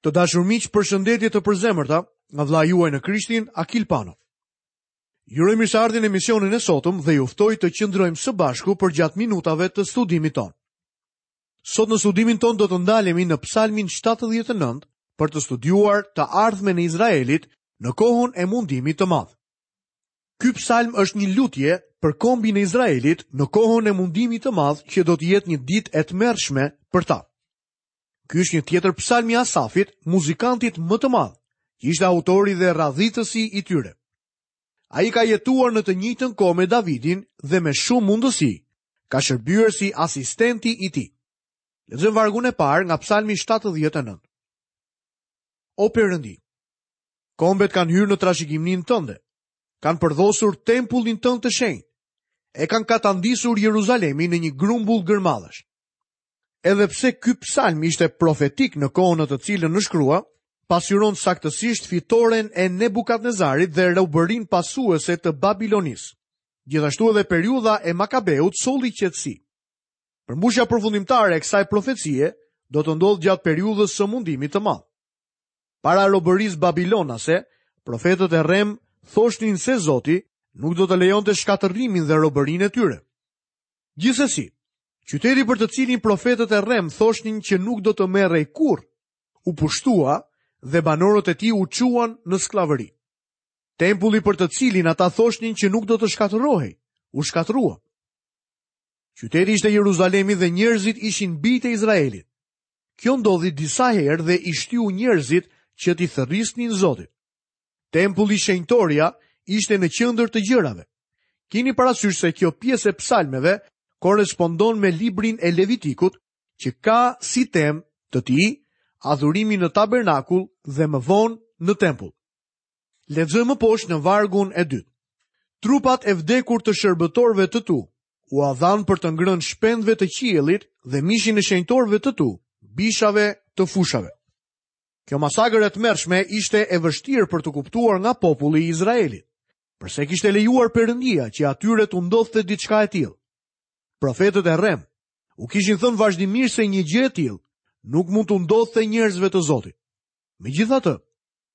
Të dashur miq, përshëndetje të përzemërta nga vëllai juaj në Krishtin, Akil Pano. Ju uroj mirëseardhjen në emisionin e sotëm dhe ju ftoj të qëndrojmë së bashku përgjatë minutave të studimit tonë. Sot në studimin tonë do të ndalemi në Psalmin 79 për të studiuar të ardhmen e Izraelit në kohën e mundimit të madh. Ky psalm është një lutje për kombin e Izraelit në kohën e mundimit të madh që do të jetë një ditë e tmerrshme për ta. Ky është një tjetër psalm i Asafit, muzikantit më të madh, që ishte autori dhe radhitësi i tyre. Ai ka jetuar në të njëjtën kohë me Davidin dhe me shumë mundësi ka shërbyer si asistenti i tij. Lexojmë vargun e parë nga Psalmi 79. O Perëndi, kombet kanë hyrë në trashëgiminë tënde, kanë përdhosur tempullin tënd të shenjtë, e kanë katandisur Jeruzalemin në një grumbull gërmadhash. Edhe pse ky psalm ishte profetik në kohën në të cilën u shkrua, pasqyron saktësisht fitoren e Nebukadnezarit dhe robërinë pasuese të Babilonisë. Gjithashtu edhe periudha e Makabeut solli qetësi. Përmbushja përfundimtare e kësaj profecie do të ndodhë gjatë periudhës së mundimit të madh. Para robërisë babilonase, profetët e rremë thoshnin se Zoti nuk do të lejonte shkatërrimin dhe robërinë e tyre. Gjithsesi, qyteti për të cilin profetët e rremë thoshnin që nuk do të merrej kurrë, u pushtua dhe banorët e tij u çuan në skllavëri. Tempulli për të cilin ata thoshnin që nuk do të shkatërrohej, u shkatërrua. Qyteti ishte Jeruzalemi dhe njerëzit ishin bijtë e Izraelit. Kjo ndodhi disa herë dhe i shtyu njerëzit që t'i thërrisnin Zotit. Tempulli shenjtoria ishte në qendër të gjërave. Kini parasysh se kjo pjesë e psalmeve korrespondon me librin e Levitikut, që ka si temë të tij adhurimin në tabernakull dhe më vonë në tempull. Lexojmë më poshtë në vargun e dytë. Trupat e vdekur të shërbëtorëve të tu ua dhanë për të ngrënë shpendëve të qiellit dhe mishin e shenjtorëve të tu, bishave të fushave. Kjo masakër e tmerrshme ishte e vështirë për t'u kuptuar nga populli i Izraelit. Përse kishte lejuar Perëndia që atyre t'u ndodhte diçka e tillë? Profetët e rremë u kishin thënë vazhdimisht se një gjë e tillë nuk mund t'u ndodhte njerëzve të Zotit. Megjithatë,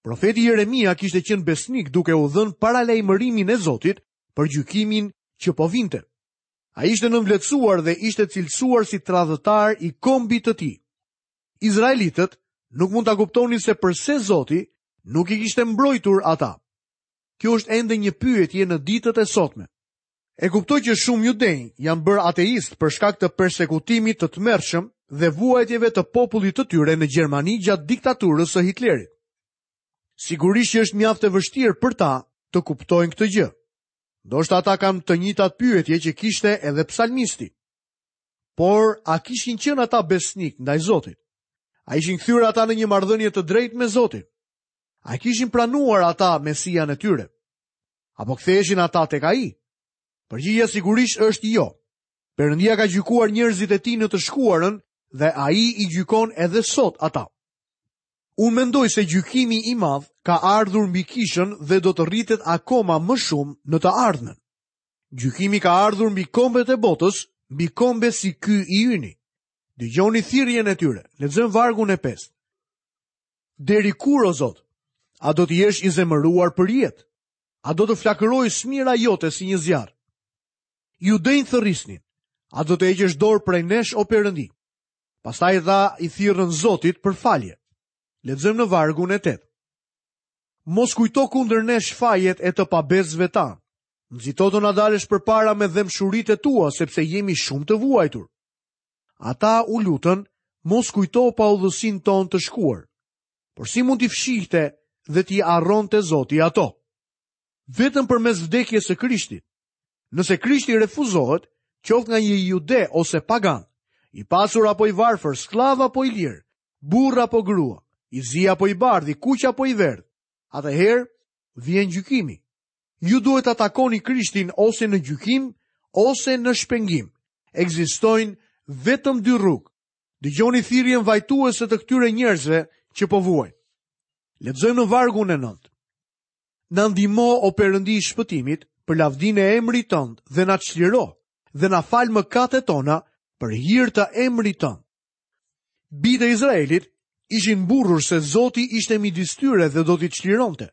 profeti Jeremia kishte qenë besnik duke u dhënë paralajmërimin e Zotit për gjykimin që po vinte. Ai ishte nënvlerësuar dhe ishte cilësuar si tradhëtar i kombit të tij. Izraelitët nuk mund ta kuptonin se përse Zoti nuk i kishte mbrojtur ata. Kjo është ende një pyetje në ditët e sotme. E kuptoj që shumë judenj janë bërë ateistë për shkak të persekutimit të tmerrshëm dhe vuajtjeve të popullit të tyre në Gjermani gjatë diktaturës së Hitlerit. Sigurisht që është mjaft e vështirë për ta të kuptojnë këtë gjë. Ndoshta ata kanë të njëjtat pyetje që kishte edhe psalmisti. Por, a kishin qenë ata besnikë ndaj Zotit? A ishin kthyer ata në një marrëdhënie të drejtë me Zotin? A kishin pranuar ata Mesian e tyre? A po ktheheshin ata tek ai? Përgjigja sigurisht është jo. Perëndia ka gjykuar njerëzit e tij në të shkuarën dhe ai i gjykon edhe sot ata. Unë mendoj se gjykimi i madh ka ardhur mbi kishën dhe do të rritet akoma më shumë në të ardhmen. Gjykimi ka ardhur mbi kombet e botës, mbi kombe si ky i yni. Dëgjoni thirrjen e tyre. Lexojmë vargun e 5. Deri kur o Zot? A do të jesh i zemëruar për jetë? A do të flakërojë smira jote si një zjarr? Judenjtë thërrisnin. A do të heqësh dorë prej nesh o Perëndi? Pastaj ata i thirrën Zotit për falje. Lexojmë në vargun e 8. Mos kujto kundër nesh fajet e të pabesëve tanë. Nxito të na dalësh përpara me dhembshuritë e tua, sepse jemi shumë të vuajtur. Ata u lutën, mos kujto paudhësinë tonë të shkuar. Por si mund t'i fshihte dhe t'i harronte Zoti ato? Vetëm përmes vdekjes së Krishtit. Nëse Krishti refuzohet, qoftë nga një jude ose pagan, i pasur apo i varfër, skllav apo i lirë, burrë apo grua, i zi apo i bardhë, i kuq apo i verdhë, atëherë vjen gjykimi. Ju duhet ta takoni Krishtin ose në gjykim ose në shpengim. Ekzistojnë vetëm dy rrugë. Dëgjoni thirrjen vajtuese të këtyre njerëzve që po vuajnë. Lexojmë në vargun e 9. Na ndihmo o Perëndi i shpëtimit për lavdinë e emrit tënd dhe na çliro dhe na fal mëkatet tona për hir të emrit tënd. Bijtë e Izraelit Ishin mburrur se Zoti ishte midis tyre dhe do t'i çlironte.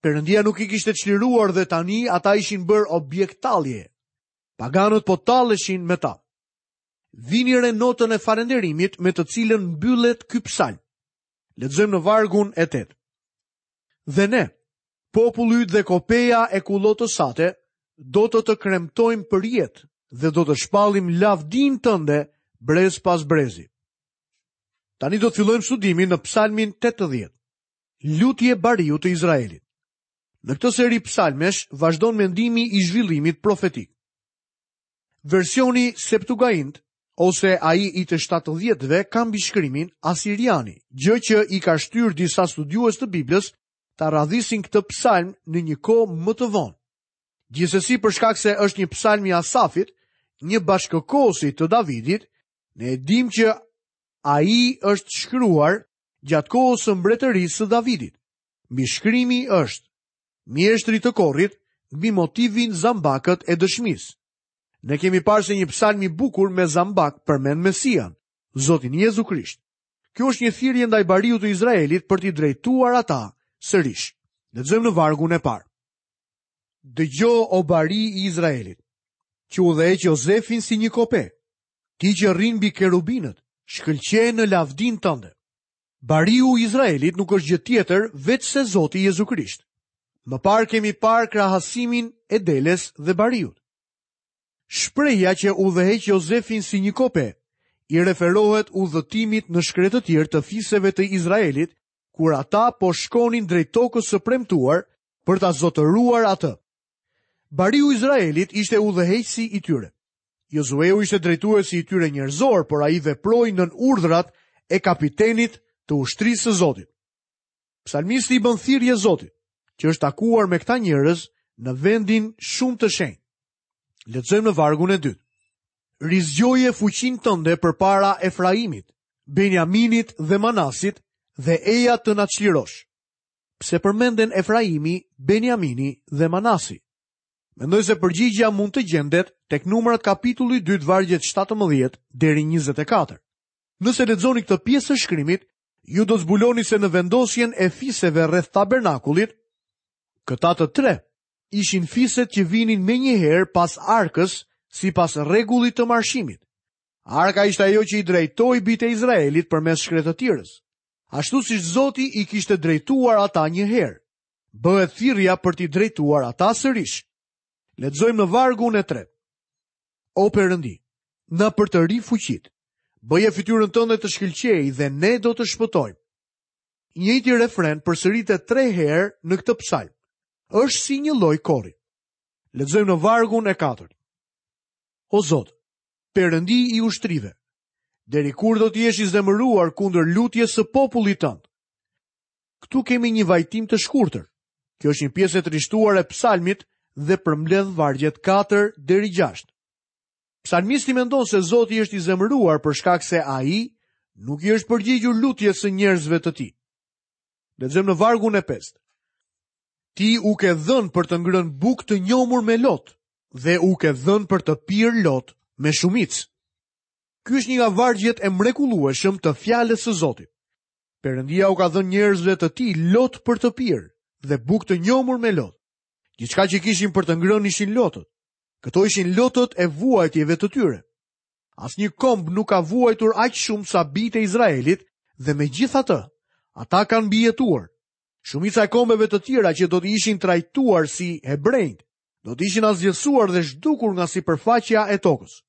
Perëndia nuk i kishte çliruar dhe tani ata ishin bërë objekt talljeje. Paganët po talleshin me ta. Vini re notën e falënderimit me të cilën mbyllet ky psalm. Lexojmë në vargun e 8. Dhe ne, populli yt dhe kopeja e kullotës sate, do të të kremtojmë përjetë dhe do të shpallim lavdinë tënde brez pas brezi. Tani do të fillojmë studimin në psalmin 80. Lutje bariut të Izraelit. Në këtë seri psalmesh vazhdon mendimi i zhvillimit profetik. Versioni Septuagint ose ai i të 70-ve ka mbishkrimin Asiriani, gjë që i ka shtyrë disa studiues të Biblës ta radhisin këtë psalm në një kohë më të vonë. Gjithsesi për shkak se është një psalm i Asafit, një bashkëkohësi të Davidit, ne e dimë që ai është shkruar gjatë kohës së mbretërisë së Davidit. Mbishkrimi është mjeshtrit të korit mbi motivin zambakët e dëshmisë. Ne kemi parë se një psalm i bukur me zambak përmend Mesian, Zotin Jezu Krisht. Kjo është një thirrje ndaj bariut të Izraelit për t'i drejtuar ata sërish. Lexojmë në vargun e parë. Dëgjo o bari i Izraelit, që udhëheq Jozefin si një kope, ti që rri mbi kerubinët, shkëlqe në lavdinë tënde. Bariu i Izraelit nuk është gjë tjetër veçse Zoti Jezu Krisht. Më parë kemi parë krahasimin e deles dhe bariut. Shprehja që udhëheq Jozefin si një kope i referohet udhëtimit në shkretëtirë të fiseve të Izraelit kur ata po shkonin drejt tokës së premtuar për ta zotëruar atë. Bariu i Izraelit ishte udhëheqësi i tyre. Jozueu ishte drejtuesi i tyre njerëzor, por ai veproi nën urdhrat e kapitenit të ushtrisë së Zotit. Psalmisti i bën thirrje Zotit, që është takuar me këta njerëz në vendin shumë të shenjtë. Lexojmë në vargun e dytë. Rizgjoje fuqinë tënde përpara Efraimit, Benjaminit dhe Manasit dhe eja të na çlirosh. Pse përmenden Efraimi, Benjamini dhe Manasi? Mendoj se përgjigja mund të gjendet tek Numrat kapitulli 2 vargjet 17 deri 24. Nëse lexoni këtë pjesë të shkrimit, ju do të zbuloni se në vendosjen e fiseve rreth tabernakullit, këta të tre ishin fiset që vinin menjëherë pas arkës sipas rregullit të marshimit. Arka ishte ajo që i drejtoi bijtë e Izraelit përmes shkretëtirës. Ashtu siç Zoti i kishte drejtuar ata një herë. Bëhet thirrja për t'i drejtuar ata sërish. Lexojmë në vargun e tretë. O Perëndi, na përtëri fuqitë. Bëje fytyrën tënde të shkëlqejë dhe ne do të shpëtojmë. I njëjti refren përsëritet tre herë në këtë psalm. Është si një lloj kori. Lexojmë në vargun e katërt. O Zot, Perëndi i ushtrive, deri kur do të jesh i zemëruar kundër lutjes së popullit tënd? Këtu kemi një vajtim të shkurtër. Kjo është një pjesë e trishtuar e psalmit dhe përmbledh vargjet 4 deri 6. Psalmisti mendon se Zoti është i zemëruar për shkak se ai nuk i është përgjigjur lutjes së njerëzve të tij. Lexojmë në vargun e 5. Ti u ke dhënë për të ngrënë bukë të njomur me lot dhe u ke dhënë për të pirë lot me shumicë. Ky është një nga vargjet e mrekullueshëm të fjalës së Zotit. Perëndia u ka dhënë njerëzve të tij lot për të pirë dhe bukë të njomur me lot. Gjithçka që kishin për të ngrënë ishin lotët. Këto ishin lotët e vuajtjeve të tyre. Asnjë komb nuk ka vuajtur aq shumë sa bijtë e Izraelit dhe megjithatë, ata kanë mbijetuar. Shumica e kombeve të tjera që do të ishin trajtuar si hebrenjtë, do të ishin asgjësuar dhe zhdukur nga sipërfaqja e tokës.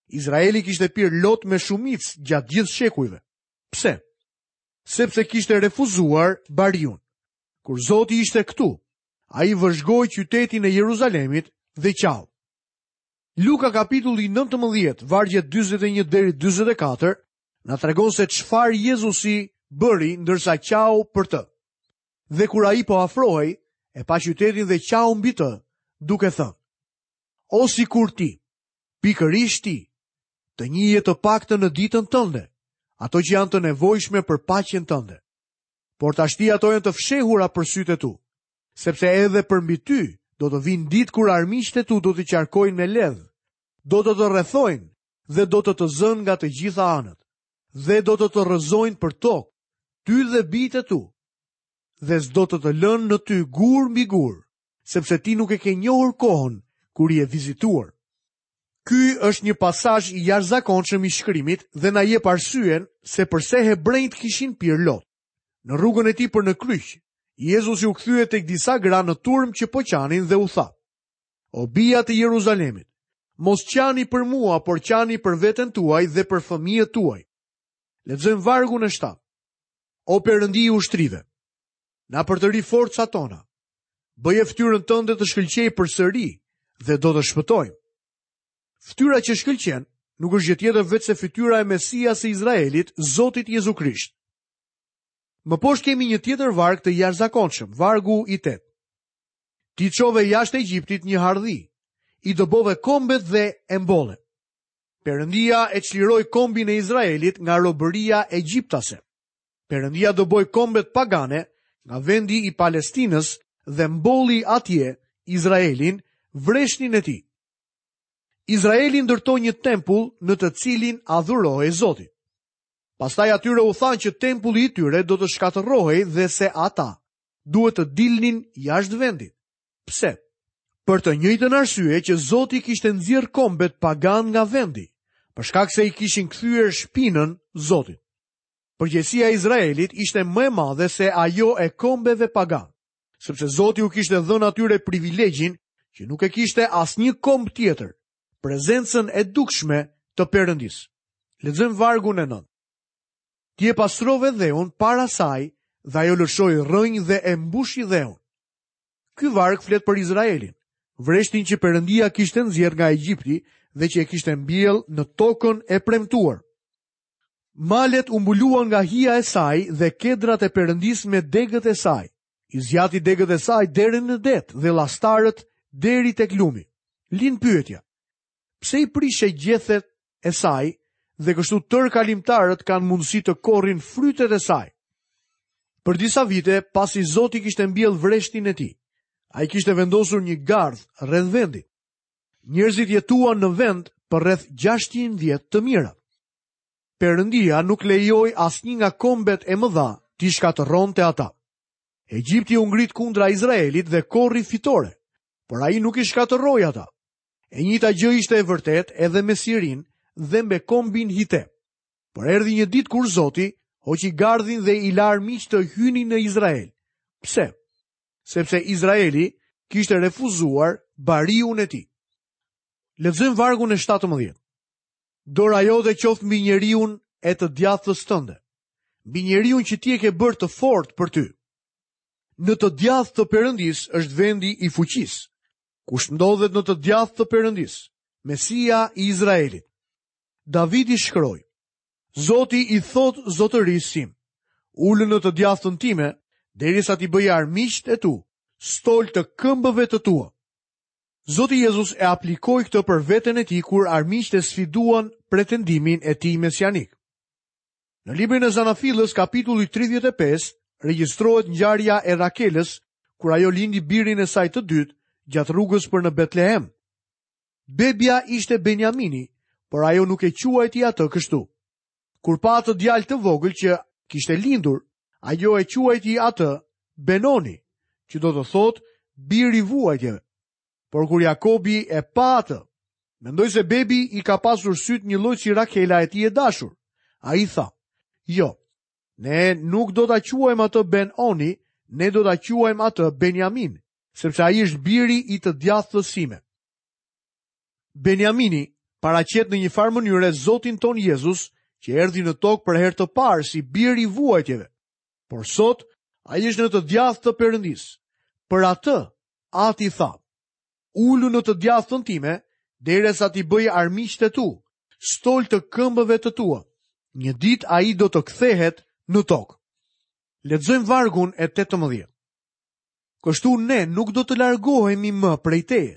Izraeli kishte pirë lot me shumicë gjatë gjithë shekujve. Pse? Sepse kishte refuzuar bariun. Kur Zoti ishte këtu, ai vëzhgoi qytetin e Jeruzalemit dhe qau. Luka kapitulli 19, vargjet 41 deri 44, na tregon se çfarë Jezusi bëri ndërsa qau për të. Dhe kur ai po afrohej, e pa qytetin dhe qau mbi të, duke thënë: O sikur ti, pikërisht ti, të njihje të paktën në ditën tënde, ato që janë të nevojshme për paqen tënde. Por tashti ato janë të fshehura për sytë e tu, sepse edhe përmbi ty do të vijnë ditë kur armiqtë e tu do të qarkojnë me ledh, do të të rrethojnë dhe do të të zënë nga të gjitha anët, dhe do të të rrëzojnë për tokë, ty dhe bijtë e tu, dhe s'do të të lënë në ty gur mbi gur, sepse ti nuk e ke njohur kohën kur je vizituar. Ky është një pasazh i jashtëzakonshëm i shkrimit dhe na jep arsyen se përse hebrenjtë kishin pirë lot. Në rrugën e tij për në kryq, Jezusi u kthye tek disa gra në turmë që po qanin dhe u tha: O bija të Jeruzalemit, mos qani për mua, por qani për veten tuaj dhe për fëmijët tuaj. Lexojmë vargun e 7. O Perëndi i ushtrive, na përtëri forcat tona. Bëje fytyrën tënde të shkëlqejë përsëri dhe do të shpëtojmë. Fytyra që shkëlqen nuk është gjë tjetër veçse fytyra e Mesias së Izraelit, Zotit Jezu Krisht. Më poshtë kemi një tjetër varg të jashtëzakonshëm, vargu i 8. Ti çove jashtë Egjiptit një hardhi, i dëbove kombet dhe e mbolle. Perëndia e çliroi kombin e Izraelit nga robëria egjiptase. Perëndia dëboi kombet pagane nga vendi i Palestinës dhe mbolli atje Izraelin, vreshnin e tij. Izraeli ndërtoi një tempull në të cilin adhurohej Zoti. Pastaj atyre u thanë që tempulli i tyre do të shkatërrohej dhe se ata duhet të dilnin jashtë vendit. Pse? Për të njëjtën arsye që Zoti kishte nxjerrë kombet paganë nga vendi, për shkak se i kishin kthyer shpinën Zotit. Përgjegjësia e Izraelit ishte më e madhe se ajo e kombeve paganë, sepse Zoti u kishte dhënë atyre privilegjin që nuk e kishte asnjë komb tjetër, prezencën e dukshme të Perëndisë. Lexojmë vargun e 9. Ti e pastrove dheun para saj dhe ajo lëshoi rrënjë dhe e mbushi dheun. Ky varg flet për Izraelin, vreshtin që Perëndia kishte nxjerrë nga Egjipti dhe që e kishte mbjellë në tokën e premtuar. Malet u mbuluan nga hija e saj dhe kedrat e Perëndisë me degët e saj. I zgjati degët e saj deri në det dhe lastarët deri tek lumi. Lind pyetja. Pse i prishe gjethet e saj dhe kështu tërë kalimtarët kanë mundësi të korrin frytet e saj? Për disa vite, pasi Zoti kishte mbjellë vreshtin e tij, ai kishte vendosur një gardh rreth vendit. Njerëzit jetuan në vend për rreth 600 vjet të mira. Perëndia nuk lejoi asnjë nga kombet e mëdha t'i shkatërronte ata. Egjipti u ngrit kundra Izraelit dhe korri fitore, por ai nuk i shkatërroi ata. E njëjta gjë ishte e vërtetë edhe me Sirinë dhe me kombin Hite. Por erdhi një ditë kur Zoti hoqi gardhin dhe i la armiqtë të hynin në Izrael. Pse? Sepse Izraeli kishte refuzuar bariun e tij. Lexojmë vargun e 17. Dora jote qoftë mbi njeriun e të djathtës tënde, mbi njeriun që ti e ke bërë të fortë për ty. Në të djathtë të Perëndisë është vendi i fuqisë. Kush ndodhet në të djathtë të Perëndisë? Mesia i Izraelit. Davidi shkroi: Zoti i thotë zotërisë sim, ulu në të djathtën time, derisa t'i bëj armiqtë e tu, stol të këmbëve të tua. Zoti Jezus e aplikoi këtë për veten e tij kur armiqtë e sfiduan pretendimin e tij mesianik. Në librin e Zanafillës, kapitulli 35, regjistrohet ngjarja e Rakelës kur ajo lindi birin e saj të dytë gjatë rrugës për në Betlehem. Bebja ishte Benjamini, por ajo nuk e quajti atë kështu. Kur pa atë djalë të vogël që kishte lindur, ajo e quajti atë Benoni, që do të thotë bir i vuajtjeve. Por kur Jakobi e pa atë, mendoj se bebi i ka pasur sytë njëlloj si Rakela e tij e dashur. Ai tha, jo, ne nuk do ta quajmë atë Ben-Oni, ne do ta quajmë atë Benjamin, sepse ai është biri i të djathtës sime. Benjamini paraqet në një farë mënyre Zotin tonë Jezus, që erdhi në tokë për herë të parë si bir i vuajtjeve. Por sot ai është në të djathtë të Perëndisë. Për atë Ati tha: Ulu në të djathtën time, derisa t'i bëj armiqtë e tu, stol të këmbëve të tua. Një ditë ai do të kthehet në tokë. Lexojmë vargun e 18. Kështu ne nuk do të largohemi më prej teje.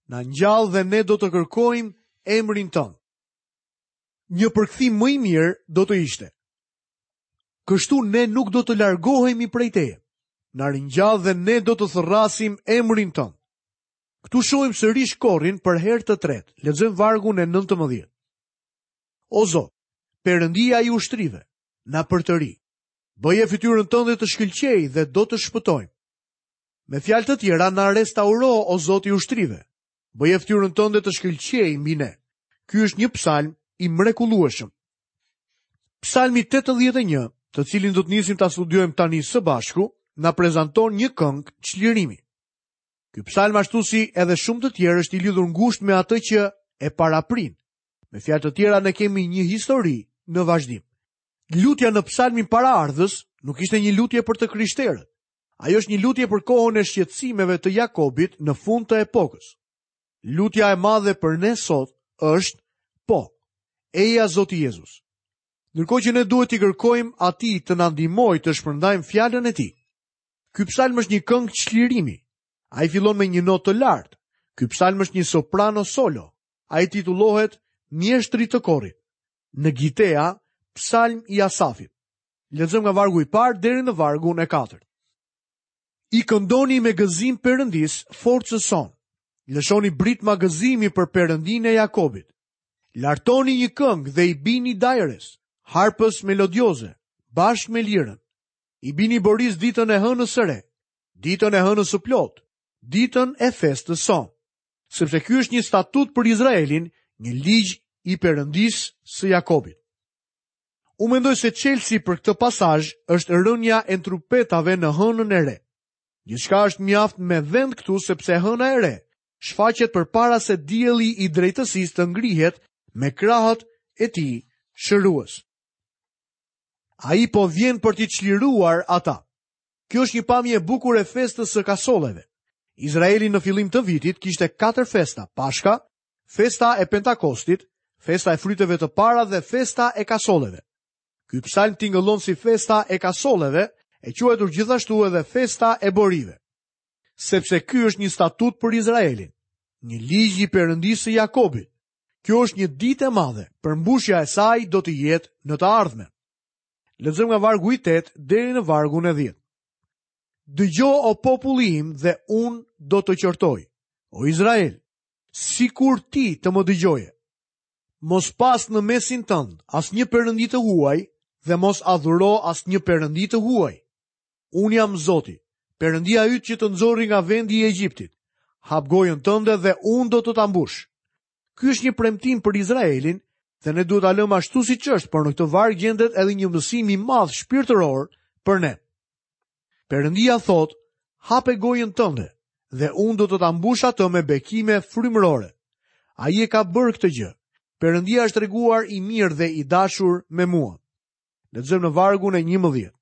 Na ngjall dhe ne do të kërkojmë emrin tënd. Një përkthim më i mirë do të ishte. Kështu ne nuk do të largohemi prej teje. Na ringjall dhe ne do të thërrasim emrin tënd. Këtu shohim sërish korin për herë të tretë. Lexojmë vargun e 19. O Zot, Perëndia i ushtrive, na përtëri. Bëje fytyrën tënde të shkëlqejë dhe do të shpëtojmë. Me fjalë të tjera, na restauro o Zot i ushtrive. Bëje fytyrën tënde të shkëlqejë mbi ne. Ky është një psalm i mrekullueshëm. Psalmi 81, të cilin do të nisim ta studiojmë tani së bashku, na prezanton një këngë çlirimi. Ky psalm ashtu si edhe shumë të tjerë është i lidhur ngushtë me atë që e paraprin. Me fjalë të tjera ne kemi një histori në vazhdim. Lutja në psalmin paraardhës nuk ishte një lutje për të krishterët. Ajo është një lutje për kohën e shqetësimeve të Jakobit në fund të epokës. Lutja e madhe për ne sot është po. Eja Zoti Jezus. Ndërkohë që ne duhet t'i kërkojmë atij të na ndihmojë të shpërndajmë fjalën e tij. Ky psalm është një këngë çlirimi. Ai fillon me një notë të lartë. Ky psalm është një soprano solo. Ai titullohet Mjeshtrit të korit. Në Gitea, psalm i Asafit. Lexojmë nga vargu i parë deri në vargun e katërt. I këndoni me gëzim Perëndisë, forcës sonë. Lëshoni britma gëzimi për Perëndinë e Jakobit. Lartoni një këngë dhe i bini dajres, harpës melodioze, bashkë me lirën. I bini borisë ditën e hënës së re, ditën e hënës së plotë, ditën e festës sonë. Sepse ky është një statut për Izraelin, një ligj i Perëndisë së Jakobit. Unë mendoj se çelësi për këtë pasazh është rënia e trupetave në hënën e re. Gjithçka është mjaft me vend këtu sepse hëna e re shfaqet përpara se dielli i drejtësisë të ngrihet me krahët e tij shërues. Ai po vjen për t'i çliruar ata. Kjo është një pamje e bukur e festës së kasolleve. Izraeli në fillim të vitit kishte katër festa: Pashka, festa e Pentakostit, festa e fryteve të para dhe festa e kasolleve. Ky psalm tingëllon si festa e kasolleve, e quajtur gjithashtu edhe festa e borive. Sepse ky është një statut për Izraelin, një ligj i Perëndisë së Jakobit. Kjo është një ditë e madhe, përmbushja e saj do të jetë në të ardhmen. Lexojmë nga vargu i 8 deri në vargun e 10. Dëgjo o populli im dhe unë do të qortoj. O Izrael, sikur ti të më dëgjoje. Mos pas në mesin tënd asnjë perëndi të huaj dhe mos adhuro asnjë perëndi të huaj. Unë jam Zoti, Perëndia yt që të nxori nga vendi i Egjiptit. Hap gojën tënde dhe unë do të ta mbush. Ky është një premtim për Izraelin dhe ne duhet ta lëmë ashtu siç është, por në këtë varg gjendet edhe një mësim i madh shpirtëror për ne. Perëndia thotë, hape gojën tënde dhe unë do të ta mbush atë me bekime frymërore. Ai e ka bërë këtë gjë. Perëndia është treguar i mirë dhe i dashur me mua. Lexojmë në vargun e 11.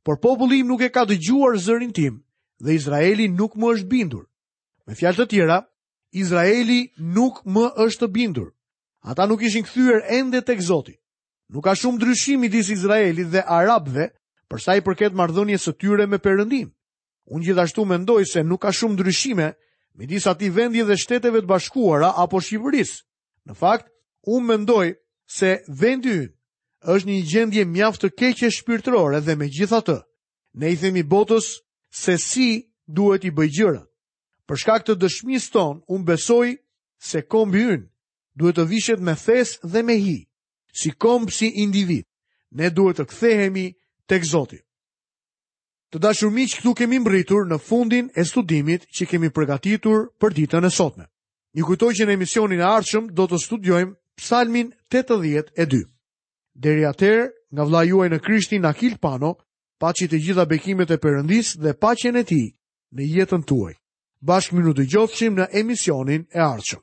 Por populli im nuk e ka dëgjuar zërin tim dhe Izraeli nuk më është bindur. Me fjalë të tjera, Izraeli nuk më është bindur. Ata nuk ishin kthyer ende tek Zoti. Nuk ka shumë ndryshim midis Izraelit dhe arabëve për sa i përket marrëdhënies së tyre me Perëndinë. Unë gjithashtu mendoj se nuk ka shumë ndryshime midis atij vendi dhe Shteteve të Bashkuara apo Shqipërisë. Në fakt, unë mendoj se vendi ynë është në një gjendje mjaft të keqe shpirtërore dhe megjithatë, ne i themi botës se si duhet t'i bëjë gjërat. Për shkak të dëshmisë tonë, unë besoj se kombi ynë duhet të vishet me thes dhe me hi, si komb si individ. Ne duhet të kthehemi tek Zoti. Të dashur miq, këtu kemi mbërritur në fundin e studimit që kemi përgatitur për ditën e sotme. Ju kujtoj që në emisionin e ardhshëm do të studiojmë Psalmin 82. Deri atëherë, nga vëllai juaj në Krishtin Akil Pano, paçi të gjitha bekimet e Perëndisë dhe paqen e tij në jetën tuaj. Bashkë mirudëgjofshim në emisionin e ardhshëm.